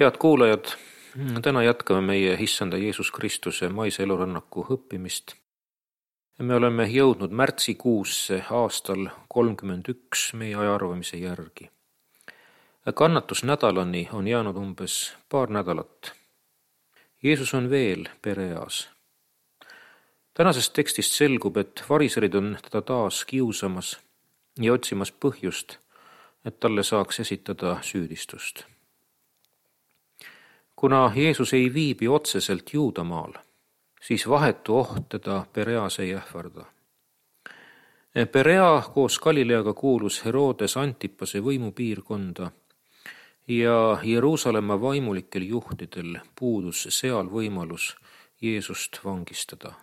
Head kuulajad, täna jätkame meie Issanda Jeesus Kristuse maise elurännaku õppimist. Me oleme jõudnud märtsikuusse aastal 31 meie ajaarvamise järgi. Kannatusnädalani on jäänud umbes paar nädalat. Jeesus on veel Pereas. Tänasest tekstist selgub, et variserid on teda taas kiusamas ja otsimas põhjust, et talle saaks esitada süüdistust. Kuna Jeesus ei viibi otseselt Juudamaal, siis vahetu oht teda Pereas ei ähvarda. Perea koos Galileaga kuulus Herodes Antipase võimupiirkonda ja Jeruusalemma vaimulikel juhtidel puudus seal võimalus Jeesust vangistada.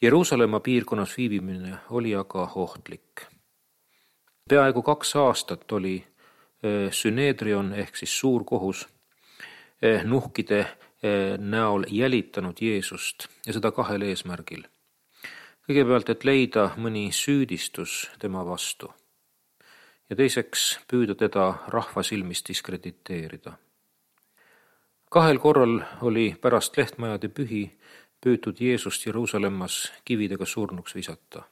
Jeruusalemma piirkonnas viibimine oli aga ohtlik. Peaaegu 2 aastat oli Süneedrion ehk siis suurkohus nuhkide näol jälitanud Jeesust ja seda 2 eesmärgil. Kõigepealt, et leida mõni süüdistus tema vastu ja teiseks püüda teda rahva silmis diskrediteerida. 2 korral oli pärast lehtmajade pühi püütud Jeesust Jeruusalemmas kividega surnuks visata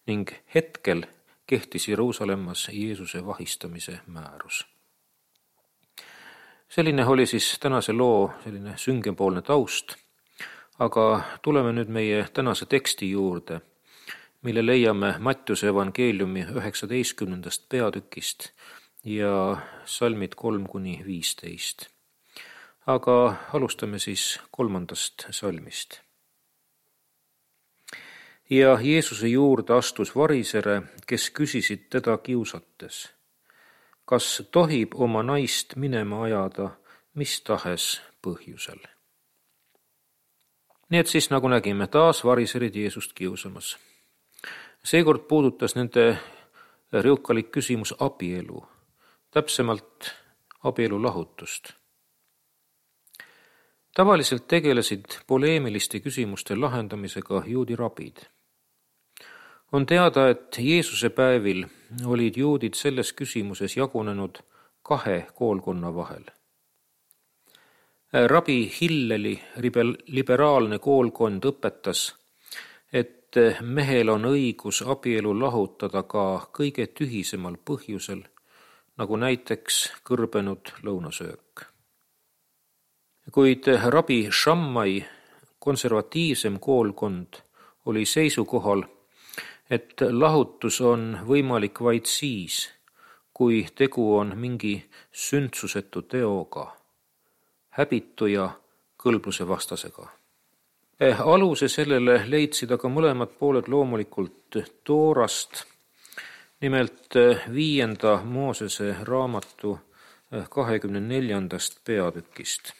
ning hetkel kehtis Jeruusalemmas Jeesuse vahistamise määrus. Selline oli siis tänase loo selline süngepoolne taust, aga tuleme nüüd meie tänase teksti juurde, mille leiame Mattiuse evangeeliumi 19. peatükist ja salmid 3-15. Aga alustame siis 3. salmist. Ja Jeesuse juurde astus varisere, kes küsisid teda kiusates: kas tohib oma naist minema ajada mis tahes põhjusel? Nii et siis, nagu nägime, taas variserid Jeesust kiusamas. Seekord puudutas nende riukalik küsimus abielu, täpsemalt abielu lahutust. Tavaliselt tegelesid poleemiliste küsimuste lahendamisega juudi rabid. On teada, et Jeesuse päevil olid juudid selles küsimuses jagunenud 2 koolkonna vahel. Rabi Hilleli liberaalne koolkond õpetas, et mehel on õigus abielu lahutada ka kõige tühisemal põhjusel, nagu näiteks kõrbenud lõunasöök. Kuid rabi Shammai konservatiivsem koolkond oli seisukohal, et lahutus on võimalik vaid siis, kui tegu on mingi sündsusetu teoga, häbitu ja kõlbluse vastasega. Aluse sellele leidsid aga mõlemad pooled loomulikult Toorast, nimelt 5. Moosese raamatu 24. peatükist.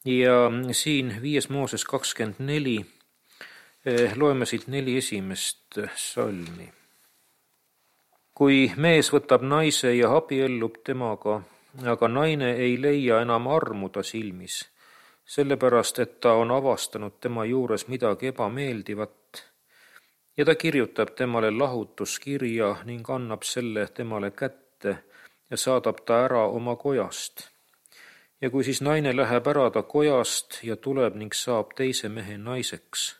Ja siin 5. Mooses 24 loeme siit 4 esimest salmi. Kui mees võtab naise ja abiellub temaga, aga naine ei leia enam armu ta silmis, sellepärast, et ta on avastanud tema juures midagi ebameeldivat, ja ta kirjutab temale lahutuskirja ning annab selle temale kätte ja saadab ta ära oma kojast. Ja kui siis naine läheb ära ta kojast ja tuleb ning saab teise mehe naiseks,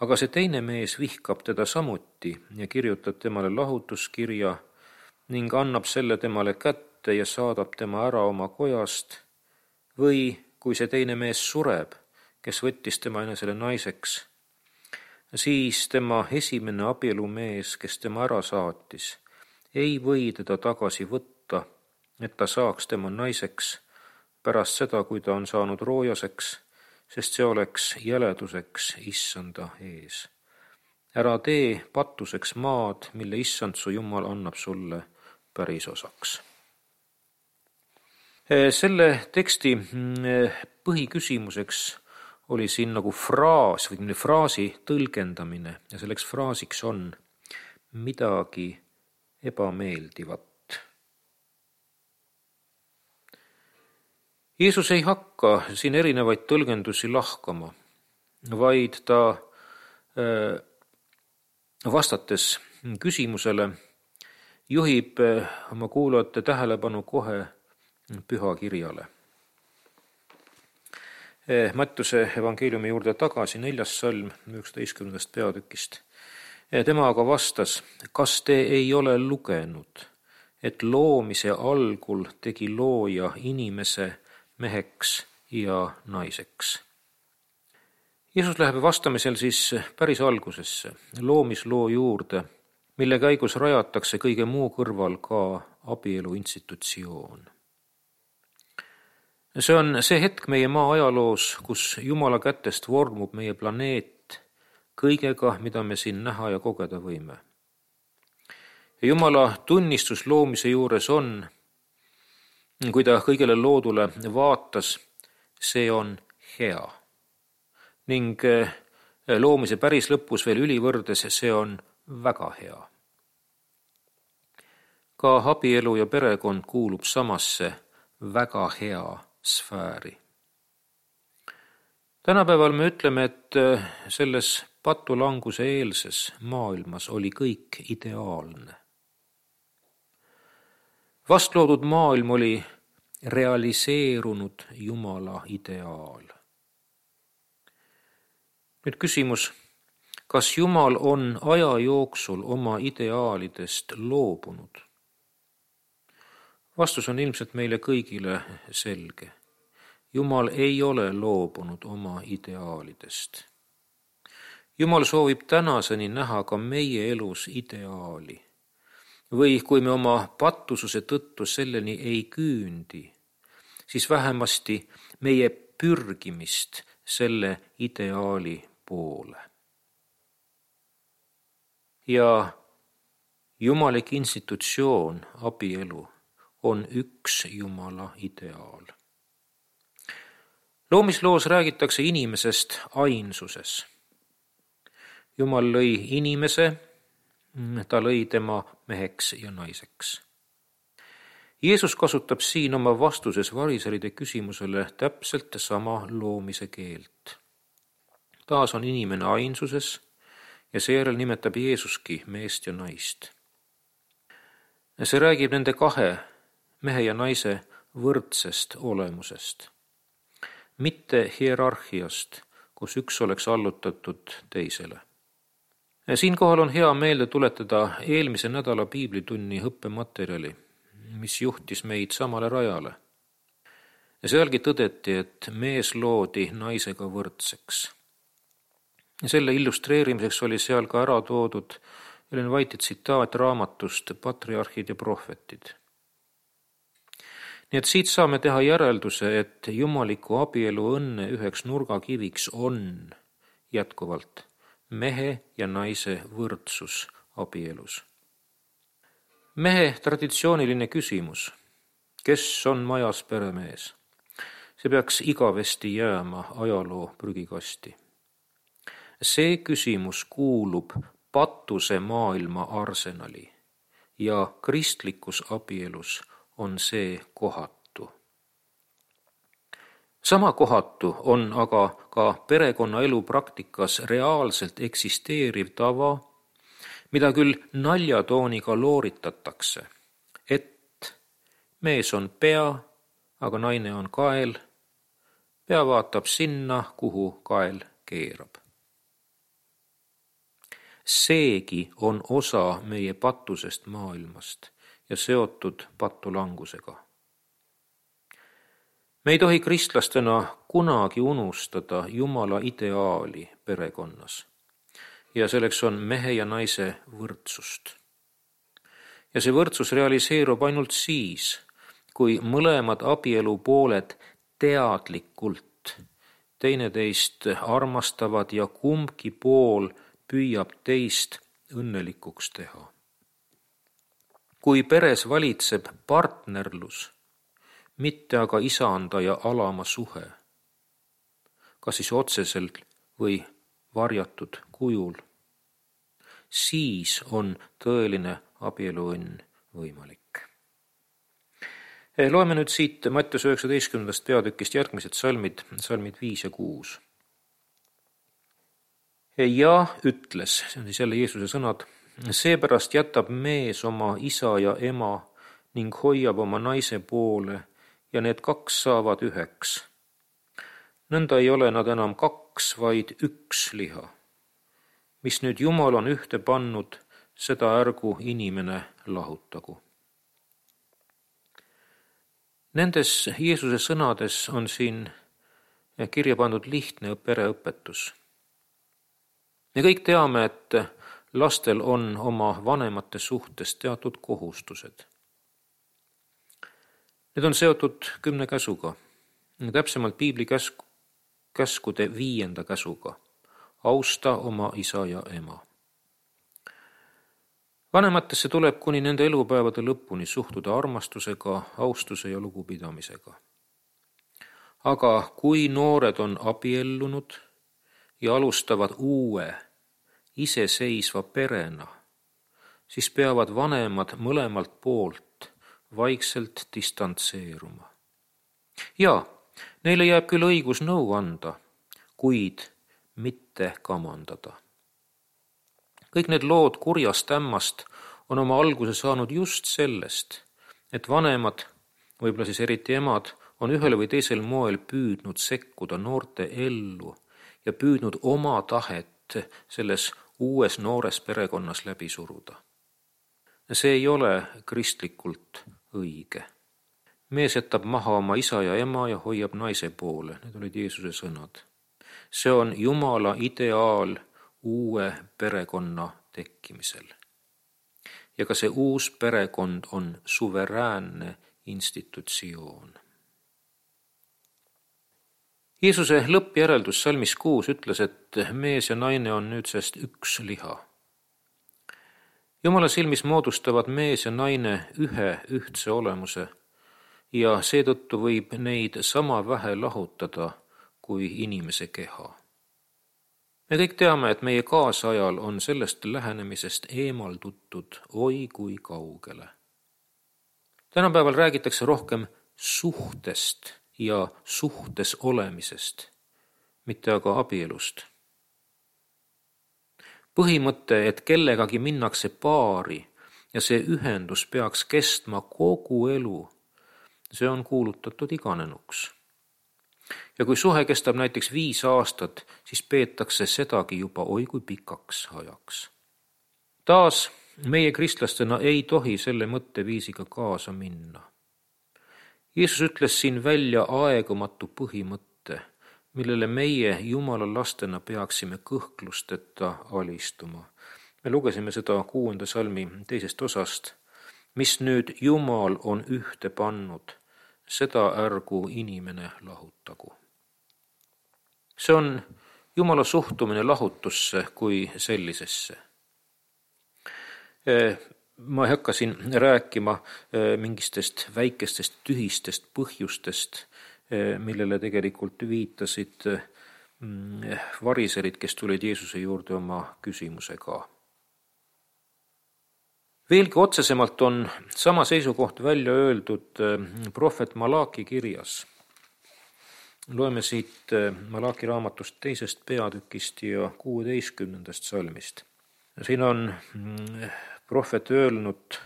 aga see teine mees vihkab teda samuti ja kirjutab temale lahutuskirja ning annab selle temale kätte ja saadab tema ära oma kojast, või kui see teine mees sureb, kes võttis tema enesele naiseks, siis tema esimene abielumees, kes tema ära saatis, ei või teda tagasi võtta, et ta saaks tema naiseks pärast seda, kui ta on saanud roojaseks, sest see oleks jäleduseks Issanda ees. Ära tee patuseks maad, mille Issand su Jumal annab sulle pärisosaks. Selle teksti põhiküsimuseks oli siin nagu fraas või fraasi tõlgendamine ja selleks fraasiks on midagi ebameeldivat. Jeesus ei hakka siin erinevaid tõlgendusi lahkama, vaid ta vastates küsimusele juhib oma kuulajate tähelepanu kohe pühakirjale. Mattuse evangeeliumi juurde tagasi, 4. salm 19. peatükist. Tema aga vastas, kas te ei ole lugenud, et loomise algul tegi looja inimese meheks ja naiseks. Jeesus läheb vastamisel siis päris algusesse, loomisloo juurde, mille käigus rajatakse kõige muu kõrval ka abielu institutsioon. See on see hetk meie maa ajaloos, kus Jumala kätest vormub meie planeet kõigega, mida me siin näha ja kogeda võime. Ja Jumala tunnistus loomise juures on, kui ta kõigele loodule vaatas, see on hea. Ning loomise päris lõpus veel ülivõrdes, see on väga hea. Ka abielu ja perekond kuulub samasse väga hea sfääri. Tänapäeval me ütleme, et selles patulanguse eelses maailmas oli kõik ideaalne. Vastloodud maailm oli realiseerunud Jumala ideaal. Nüüd küsimus, kas Jumal on aja jooksul oma ideaalidest loobunud? Vastus on ilmselt meile kõigile selge. Jumal ei ole loobunud oma ideaalidest. Jumal soovib tänaseni näha ka meie elus ideaali. Või kui me oma pattususe tõttu selleni ei küündi, siis vähemasti meie pürgimist selle ideaali poole. Ja jumalik institutsioon, abielu, on üks Jumala ideaal. Loomisloos räägitakse inimesest ainsuses. Jumal lõi inimese, ta lõi tema meheks ja naiseks. Jeesus kasutab siin oma vastuses variseride küsimusele täpselt sama loomise keelt. Taas on inimene ainsuses ja seejärel nimetab Jeesuski meest ja naist. See räägib nende kahe, mehe ja naise, võrdsest olemusest. Mitte hierarhiast, kus üks oleks allutatud teisele. Siinkohal on hea meelde tuletada eelmise nädala piiblitunni õppematerjali, mis juhtis meid samale rajale. Ja sealgi tõdeti, et mees loodi naisega võrdseks. Ja selle illustreerimiseks oli seal ka ära toodud Ellen White'i tsitaat raamatust Patriarhid ja prohvetid. Nii et siit saame teha järelduse, et jumaliku abielu õnne üheks nurgakiviks on jätkuvalt mehe ja naise võrdsus abielus. Mehe traditsiooniline küsimus, kes on majas peremees, see peaks igavesti jääma ajaloo prügikasti. See küsimus kuulub patuse maailma arsenali ja kristlikus abielus on see kohatu. Sama kohatu on aga ka perekonnaelu praktikas reaalselt eksisteeriv tava, mida küll naljatooniga looritatakse, et mees on pea, aga naine on kael, pea vaatab sinna, kuhu kael keerab. Seegi on osa meie patusest maailmast ja seotud patulangusega. Me ei tohi kristlastena kunagi unustada Jumala ideaali perekonnas ja selleks on mehe ja naise võrdsust. Ja see võrdsus realiseerub ainult siis, kui mõlemad abielu pooled teadlikult teineteist armastavad ja kumbki pool püüab teist õnnelikuks teha. Kui peres valitseb partnerlus, mitte aga isanda ja alama suhe, kas siis otseselt või varjatud kujul, siis on tõeline abieluõnn võimalik. Loeme nüüd siit Mattuse 19. peatükist järgmised salmid 5 ja 6. Ja ütles, see on siis jälle Jeesuse sõnad, seepärast jätab mees oma isa ja ema ning hoiab oma naise poole ja need kaks saavad üheks. Nõnda ei ole nad enam kaks, vaid üks liha. Mis nüüd Jumal on ühte pannud, seda ärgu inimene lahutagu. Nendes Jeesuse sõnades on siin kirja pandud lihtne pereõpetus. Me kõik teame, et lastel on oma vanemate suhtes teatud kohustused. Need on seotud 10 käsuga, täpsemalt piibli käskude 5. käsuga. Austa oma isa ja ema. Vanematesse tuleb kuni nende elupäevade lõpuni suhtuda armastusega, austuse ja lugupidamisega. Aga kui noored on abiellunud ja alustavad uue, iseseisva perena, siis peavad vanemad mõlemalt poolt vaikselt distantseeruma. Ja neile jääb küll õigus nõu anda, kuid mitte kamandada. Kõik need lood kurjast ämmast on oma alguse saanud just sellest, et vanemad, võib-olla siis eriti emad, on ühel või teisel moel püüdnud sekkuda noorte ellu ja püüdnud oma tahet selles uues noores perekonnas läbi suruda. See ei ole kristlikult õige. Mees jätab maha oma isa ja ema ja hoiab naise poole. Need olid Jeesuse sõnad. See on Jumala ideaal uue perekonna tekkimisel. Ja ka see uus perekond on suveräänne institutsioon. Jeesuse lõppjäreldus salmis 6 ütles, et mees ja naine on nüüdsest üks liha. Jumala silmis moodustavad mees ja naine ühe ühtse olemuse ja seetõttu võib neid sama vähe lahutada kui inimese keha. Me kõik teame, et meie kaasajal on sellest lähenemisest eemaldutud oi kui kaugele. Tänapäeval räägitakse rohkem suhtest ja suhtes olemisest, mitte aga abielust. Põhimõte, et kellegagi minnakse paari ja see ühendus peaks kestma kogu elu, see on kuulutatud iganenuks. Ja kui suhe kestab näiteks 5 aastat, siis peetakse sedagi juba oi kui pikaks ajaks. Taas, meie kristlastena ei tohi selle mõtteviisiga kaasa minna. Jeesus ütles siin välja aegumatu põhimõtte, millele meie Jumala lastena peaksime kõhklusteta alistuma. Me lugesime seda 6. salmi 2. osast. Mis nüüd Jumal on ühte pannud, seda ärgu inimene lahutagu. See on Jumala suhtumine lahutusse kui sellisesse. Ma ei hakka siin rääkima mingistest väikestest tühistest põhjustest, millele tegelikult viitasid variserid, kes tulid Jeesuse juurde oma küsimusega. Veelgi otsesemalt on sama seisukoht välja öeldud prohvet Malaki kirjas. Loeme siit Malaki raamatust 2. peatükist ja 16. salmist. Siin on prohvet öelnud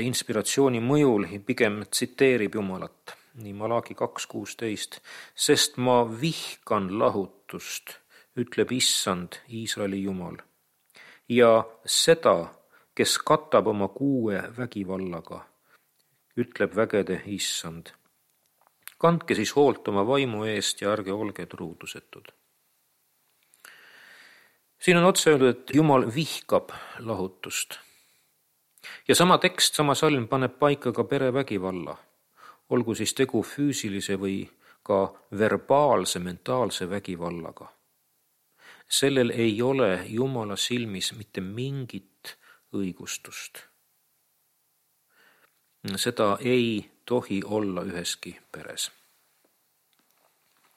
inspiratsiooni mõjul, pigem tsiteerib Jumalat. Nii Malaki 2.16. Sest ma vihkan lahutust, ütleb Issand, Iisraeli Jumal. Ja seda, kes katab oma kuue vägivallaga, ütleb vägede Issand. Kandke siis hoolt oma vaimu eest ja ärge olge truudusetud. Siin on otse öeldud, et Jumal vihkab lahutust. Ja sama tekst, sama salm paneb paika ka perevägivalla. Olgu siis tegu füüsilise või ka verbaalse, mentaalse vägivallaga. Sellel ei ole Jumala silmis mitte mingit õigustust. Seda ei tohi olla üheski peres.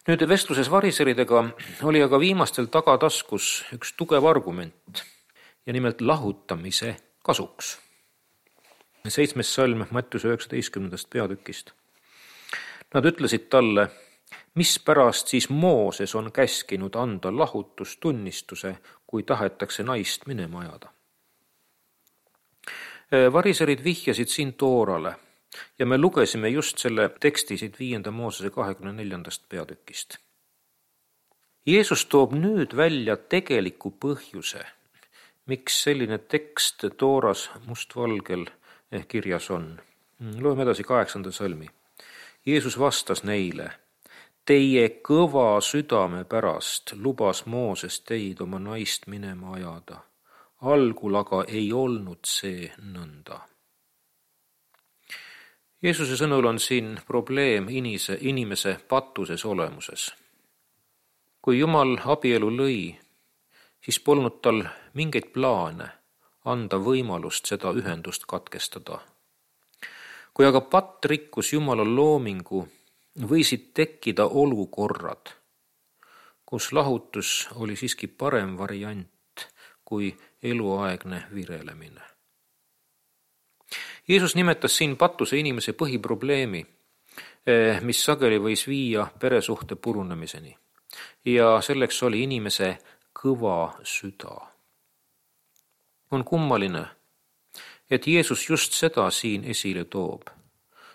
Nüüd vestluses variseridega oli aga viimastel tagataskus üks tugev argument ja nimelt lahutamise kasuks. 7. salm Mattiuse 19. peatükist. Nad ütlesid talle, mispärast siis Mooses on käskinud anda lahutustunnistuse, kui tahetakse naist minema ajada. Variserid vihjasid siin Toorale Ja me lugesime just selle teksti siit 5. Moosese 24. peatükist. Jeesus toob nüüd välja tegeliku põhjuse, miks selline tekst Tooras mustvalgel kirjas on. Loeme edasi 8. salmi. Jeesus vastas neile: teie kõva südame pärast lubas Mooses teid oma naist minema ajada. Algul aga ei olnud see nõnda. Jeesuse sõnul on siin probleem inimese patuses olemuses. Kui Jumal abielu lõi, siis polnud tal mingeid plaane anda võimalust seda ühendust katkestada. Kui aga patt rikkus Jumala loomingu, võisid tekkida olukorrad, kus lahutus oli siiski parem variant kui eluaegne virelemine. Jeesus nimetas siin patuse inimese põhiprobleemi, mis sageli võis viia peresuhte purunemiseni. Ja selleks oli inimese kõva süda. On kummaline, et Jeesus just seda siin esile toob,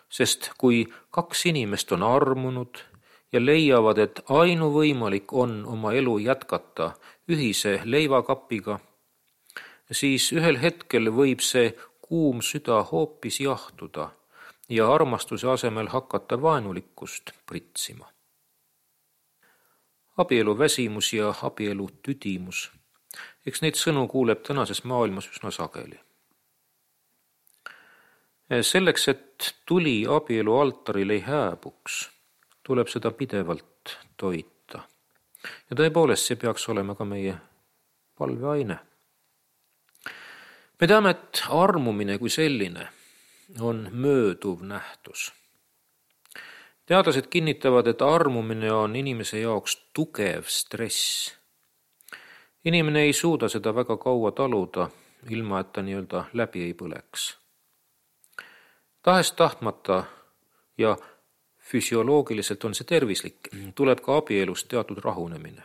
sest kui kaks inimest on armunud ja leiavad, et ainuvõimalik on oma elu jätkata ühise leivakapiga, siis ühel hetkel võib see kuum süda hoopis jahtuda ja armastuse asemel hakata vaenulikkust pritsima. Abielu väsimus ja abielu tüdimus, eks neid sõnu kuuleb tänases maailmas üsna sageli. Selleks, et tuli abielu altaril ei hääbuks, tuleb seda pidevalt toita. Ja tõepoolest, see peaks olema ka meie palveaine. Me teame, et armumine kui selline on mööduv nähtus. Teadlased kinnitavad, et armumine on inimese jaoks tugev stress. Inimene ei suuda seda väga kaua taluda, ilma et ta nii-öelda läbi ei põleks. Tahest tahtmata ja füsioloogiliselt on see tervislik, tuleb ka abielust teatud rahunemine.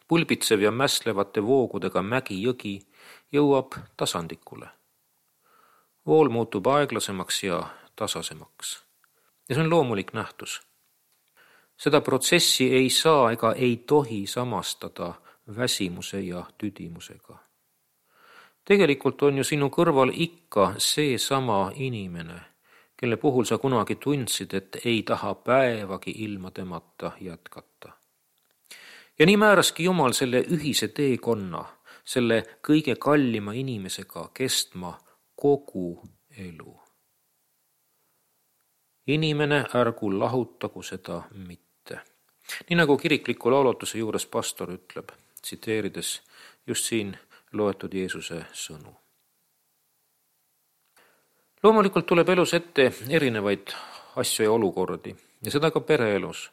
Pulbitsev ja mässlevate voogudega mägi-jõgi jõuab tasandikule. Vool muutub aeglasemaks ja tasasemaks. Ja see on loomulik nähtus. Seda protsessi ei saa ega ei tohi samastada väsimuse ja tüdimusega. Tegelikult on ju sinu kõrval ikka see sama inimene, kelle puhul sa kunagi tundsid, et ei taha päevagi ilma temata jätkata. Ja nii määraski Jumal selle ühise teekonna, selle kõige kallima inimesega kestma kogu elu. Inimene ärgu lahutagu seda mitte. Nii nagu kirikliku laulutuse juures pastor ütleb, tsiteerides just siin loetud Jeesuse sõnu. Loomulikult tuleb elus ette erinevaid asju ja olukordi ja seda ka pereelus.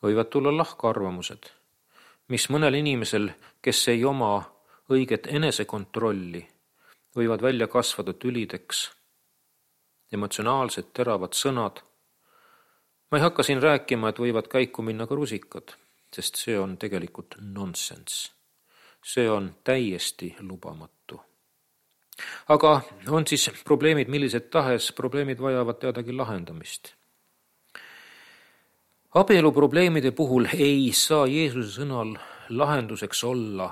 Võivad tulla lahkarvamused, mis mõnel inimesel, kes ei oma õiget enesekontrolli, võivad välja kasvada tülideks, emotsionaalsed teravad sõnad. Ma ei hakka siin rääkima, et võivad käiku minna ka rusikad, sest see on tegelikult nonsense. See on täiesti lubamatu. Aga on siis probleemid, millised tahes probleemid vajavad teadagi lahendamist. Abielu probleemide puhul ei saa Jeesuse sõnal lahenduseks olla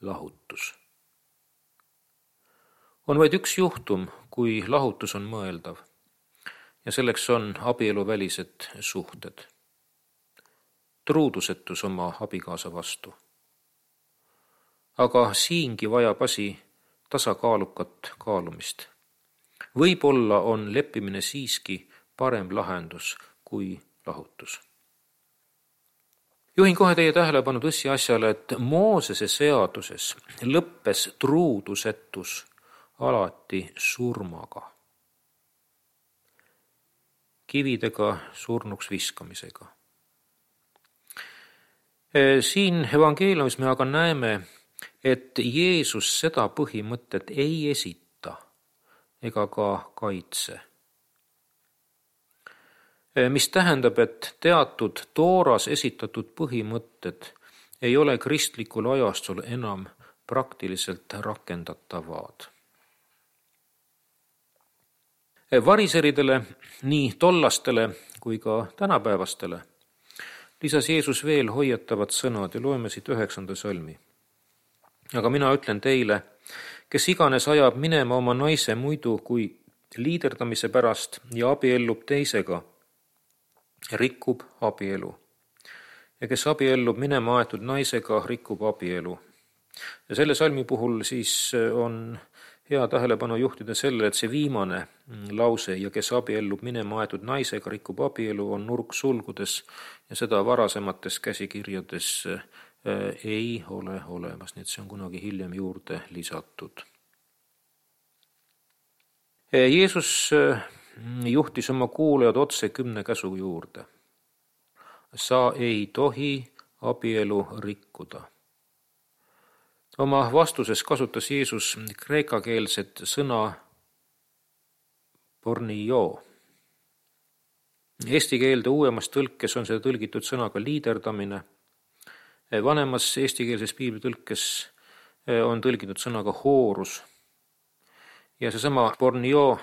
lahutus. On vaid üks juhtum, kui lahutus on mõeldav, ja selleks on abieluvälised suhted. Truudusetus oma abikaasa vastu. Aga siingi vajab asi tasakaalukat kaalumist. Võib-olla on leppimine siiski parem lahendus kui lahutus. Juhin kohe teie tähelepanu tõsiasjale, et Moosese seaduses lõppes truudusetus alati surmaga. Kividega surnuks viskamisega. Siin evangeeliumis me aga näeme, et Jeesus seda põhimõtet ei esita ega ka kaitse. Mis tähendab, et teatud Tooras esitatud põhimõtted ei ole kristlikul ajastul enam praktiliselt rakendatavad. Variseridele, nii tollastele kui ka tänapäevastele, lisas Jeesus veel hoiatavad sõnad ja loeme siit 9. salmi. Aga mina ütlen teile, kes iganes ajab minema oma naise muidu kui liiderdamise pärast ja abiellub teisega, rikub abielu. Ja kes abiellub minema aetud naisega, rikub abielu. Ja selle salmi puhul siis on hea tähelepanu juhtida sellele, et see viimane lause ja kes abiellub minema aetud naisega, rikub abielu, on nurksulgudes ja seda varasemates käsikirjades ei ole olemas, nii et see on kunagi hiljem juurde lisatud. Jeesus juhtis oma kuulajad otse 10 käsu juurde. Sa ei tohi abielu rikkuda. Oma vastuses kasutas Jeesus kreekakeelset sõna pornio. Eesti keelde uuemas tõlkes on seda tõlgitud sõnaga liiderdamine. Vanemas eestikeelses piiblitõlkes on tõlgitud sõnaga hoorus. Ja seesama pornio,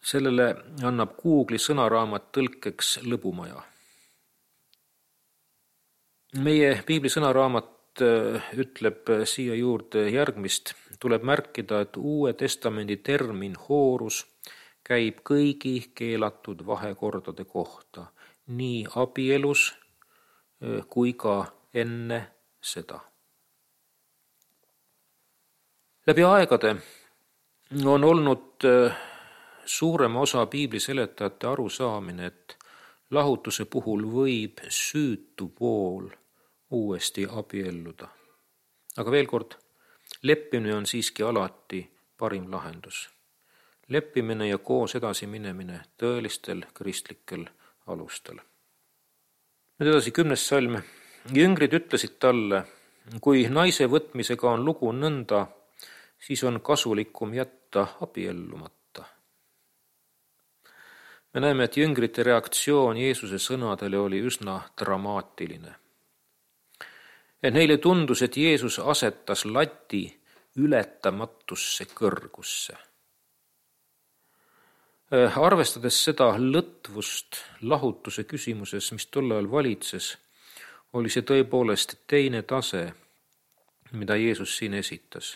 sellele annab Google'i sõnaraamat tõlkeks lõbumaja. Meie piibli sõnaraamat ütleb siia juurde järgmist. Tuleb märkida, et Uue Testamendi termin hoorus käib kõigi keelatud vahekordade kohta, nii abielus kui ka enne seda. Läbi aegade on olnud suurema osa piibli seletajate arusaamine, et lahutuse puhul võib süütu pool uuesti abielluda. Aga veel kord, leppimine on siiski alati parim lahendus. Leppimine ja koos edasi minemine tõelistel kristlikel alustel. Nüüd edasi 10. salm. Jüngrid ütlesid talle, kui naise võtmisega on lugu nõnda, siis on kasulikum jätta abiellumata. Me näeme, et jüngrite reaktsioon Jeesuse sõnadele oli üsna dramaatiline. Neile tundus, et Jeesus asetas lati ületamatusse kõrgusse. Arvestades seda lõtvust lahutuse küsimuses, mis tol ajal valitses, oli see tõepoolest teine tase, mida Jeesus siin esitas.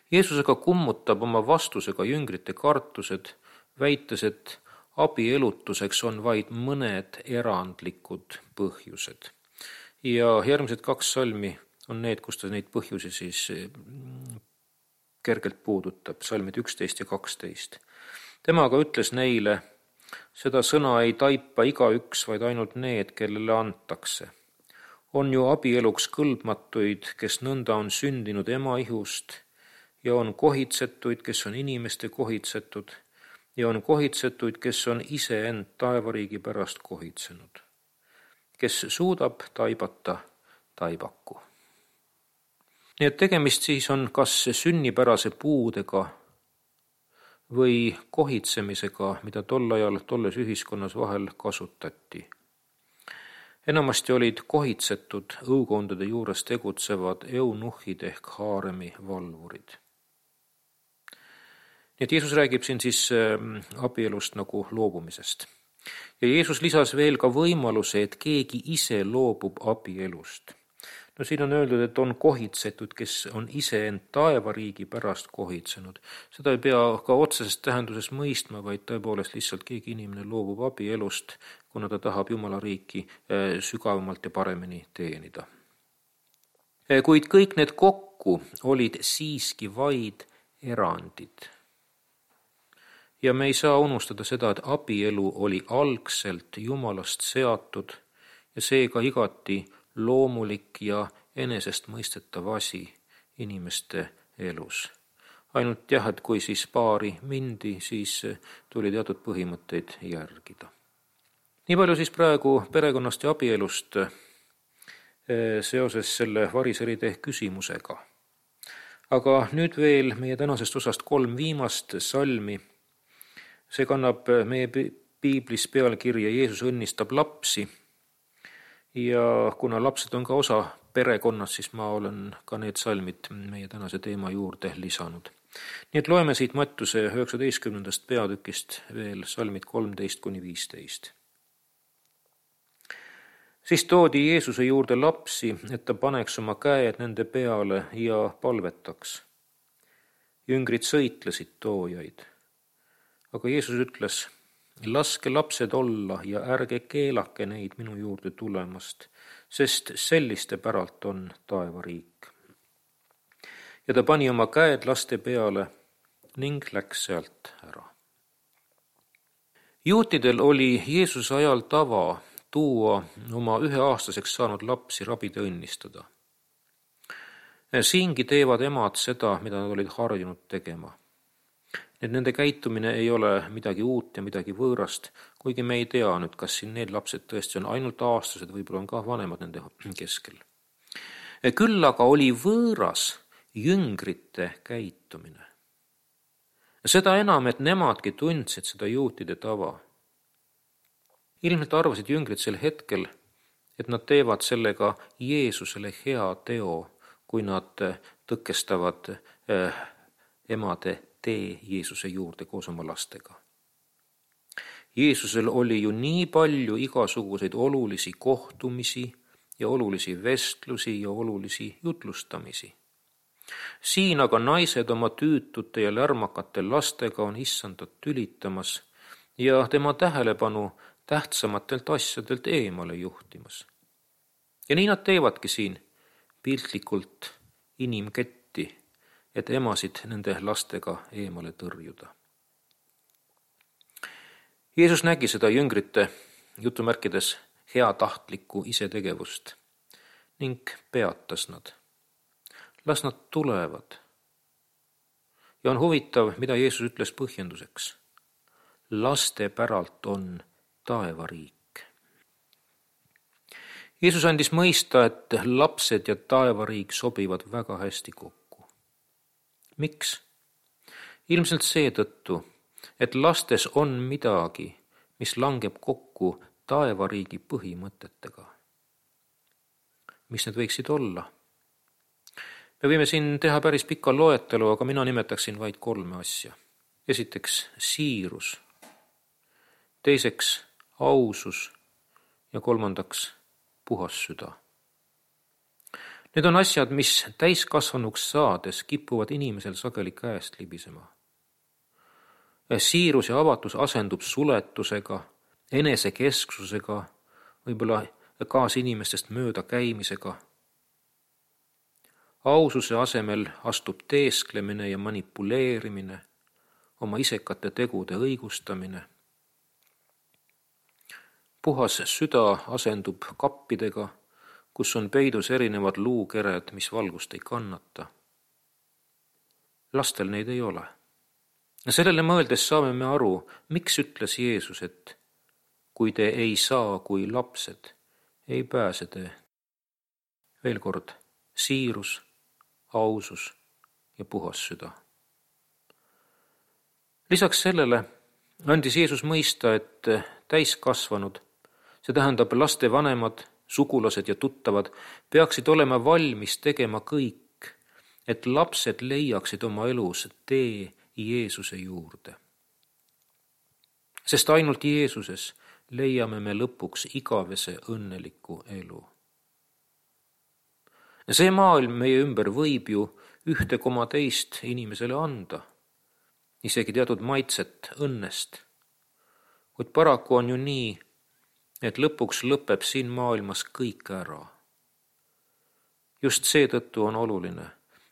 Jeesus aga kummutab oma vastusega jüngrite kartused, väites, et abielutuseks on vaid mõned erandlikud põhjused. Ja järgmised 2 salmi on need, kus ta neid põhjusi siis kergelt puudutab, salmid 11 ja 12. Tema aga ütles neile, seda sõna ei taipa igaüks, vaid ainult need, kellele antakse. On ju abieluks kõlbmatuid, kes nõnda on sündinud ema ihust, ja on kohitsetuid, kes on inimeste kohitsetud, ja on kohitsetuid, kes on iseend taevariigi pärast kohitsenud. Kes suudab taibata, taibaku. Nii et tegemist siis on kas sünnipärase puudega või kohitsemisega, mida tol ajal tolles ühiskonnas vahel kasutati. Enamasti olid kohitsetud õukondade juures tegutsevad eunuhid ehk haaremi valvurid. Nii et Jeesus räägib siin siis abielust nagu loobumisest. Ja Jeesus lisas veel ka võimaluse, et keegi ise loobub abielust. No siin on öeldud, et on kohitsetud, kes on iseend taevariigi pärast kohitsenud. Seda ei pea ka otsesest tähenduses mõistma, vaid tõepoolest lihtsalt keegi inimene loobub abielust, kuna ta tahab Jumala riiki sügavamalt ja paremini teenida. Kuid kõik need kokku olid siiski vaid erandid. Ja me ei saa unustada seda, et abielu oli algselt Jumalast seatud ja seega igati loomulik ja enesestmõistetav asi inimeste elus. Ainult jah, et kui siis paari mindi, siis tuli teatud põhimõtteid järgida. Nii palju siis praegu perekonnast ja abielust seoses selle variseride küsimusega. Aga nüüd veel meie tänasest osast 3 viimast salmi. See kannab meie piiblis pealkirja Jeesus õnnistab lapsi ja kuna lapsed on ka osa perekonnas, siis ma olen ka need salmid meie tänase teema juurde lisanud. Nii et loeme siit Mattuse 19. peatükist veel salmid 13-15. Siis toodi Jeesuse juurde lapsi, et ta paneks oma käed nende peale ja palvetaks. Jüngrid sõitlesid toojaid. Aga Jeesus ütles, laske lapsed olla ja ärge keelake neid minu juurde tulemast, sest selliste päralt on taevariik. Ja ta pani oma käed laste peale ning läks sealt ära. Juutidel oli Jeesuse ajal tava tuua oma 1-aastaseks saanud lapsi rabide õnnistada. Siingi teevad emad seda, mida nad olid harjunud tegema. Nende käitumine ei ole midagi uut ja midagi võõrast, kuigi me ei tea nüüd, kas siin need lapsed tõesti on ainult aastased, võib-olla on ka vanemad nende keskel. Küll aga oli võõras jüngrite käitumine. Seda enam, et nemadki tundsid seda juutide tava. Ilmselt arvasid jüngrid sel hetkel, et nad teevad sellega Jeesusele hea teo, kui nad tõkestavad emade tee Jeesuse juurde koos oma lastega. Jeesusel oli ju nii palju igasuguseid olulisi kohtumisi ja olulisi vestlusi ja olulisi jutlustamisi. Siin aga naised oma tüütute ja lärmakate lastega on issandat tülitamas ja tema tähelepanu tähtsamatelt asjadelt eemale juhtimas. Ja nii nad teevadki siin piltlikult inimketti, et emasid nende lastega eemale tõrjuda. Jeesus nägi seda jüngrite jutumärkides heatahtlikku isetegevust ning peatas nad. Las nad tulevad. Ja on huvitav, mida Jeesus ütles põhjenduseks. Laste päralt on taevariik. Jeesus andis mõista, et lapsed ja taevariik sobivad väga hästi kokku. Miks? Ilmselt seetõttu, et lastes on midagi, mis langeb kokku taevariigi põhimõtetega. Mis need võiksid olla? Me võime siin teha päris pikka loetelu, aga mina nimetaksin vaid 3 asja. Esiteks siirus, teiseks ausus ja 3. puhas süda. Need on asjad, mis täiskasvanuks saades kipuvad inimesel sageli käest libisema. Siirus ja avatus asendub suletusega, enesekesksusega, võib-olla kaasinimestest mööda käimisega. Aususe asemel astub teesklemine ja manipuleerimine, oma isekate tegude õigustamine. Puhas süda asendub kappidega, kus on peidus erinevad luukered, mis valgust ei kannata. Lastel neid ei ole. Sellele mõeldes saame me aru, miks ütles Jeesus, et kui te ei saa kui lapsed, ei pääse te. Veel kord, siirus, ausus ja puhas süda. Lisaks sellele andis Jeesus mõista, et täiskasvanud, see tähendab laste vanemad, sugulased ja tuttavad, peaksid olema valmis tegema kõik, et lapsed leiaksid oma elus tee Jeesuse juurde. Sest ainult Jeesuses leiame me lõpuks igavese õnneliku elu. See maailm meie ümber võib ju 1,2 inimesele anda, isegi teatud maitset õnnest. Kuid paraku on ju nii, et lõpuks lõpeb siin maailmas kõik ära. Just seetõttu on oluline,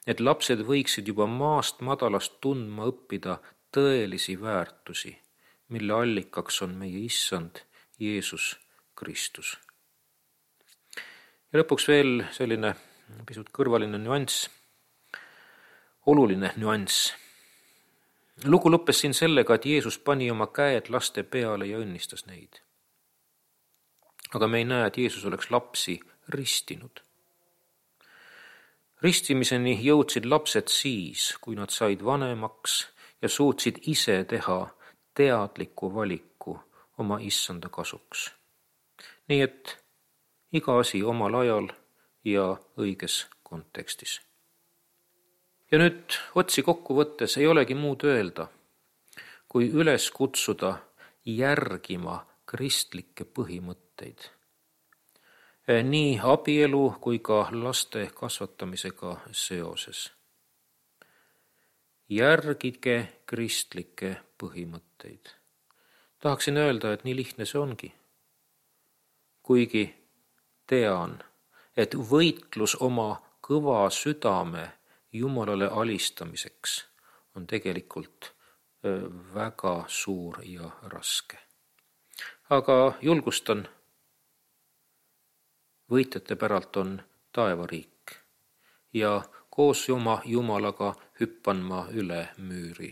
et lapsed võiksid juba maast madalast tundma õppida tõelisi väärtusi, mille allikaks on meie issand Jeesus Kristus. Ja lõpuks veel selline pisut kõrvaline nüanss, oluline nüanss. Lugu lõppes siin sellega, et Jeesus pani oma käed laste peale ja õnnistas neid. Aga me ei näe, et Jeesus oleks lapsi ristinud. Ristimiseni jõudsid lapsed siis, kui nad said vanemaks ja suutsid ise teha teadliku valiku oma issanda kasuks. Nii et iga asi omal ajal ja õiges kontekstis. Ja nüüd otsi kokku võttes ei olegi muud öelda, kui üles kutsuda järgima kristlikke põhimõtteid. Nii abielu kui ka laste kasvatamisega seoses. Järgige kristlikke põhimõtteid. Tahaksin öelda, et nii lihtne see ongi. Kuigi tean, et võitlus oma kõva südame Jumalale alistamiseks on tegelikult väga suur ja raske. Aga julgustan, võitjate päralt on taevariik ja koos oma Jumalaga hüppan ma üle müüri,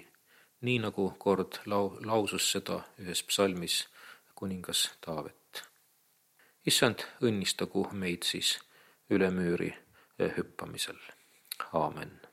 nii nagu kord lausus seda ühes psalmis kuningas Taavet. Issand, õnnistagu meid siis üle müüri hüppamisel. Aamen.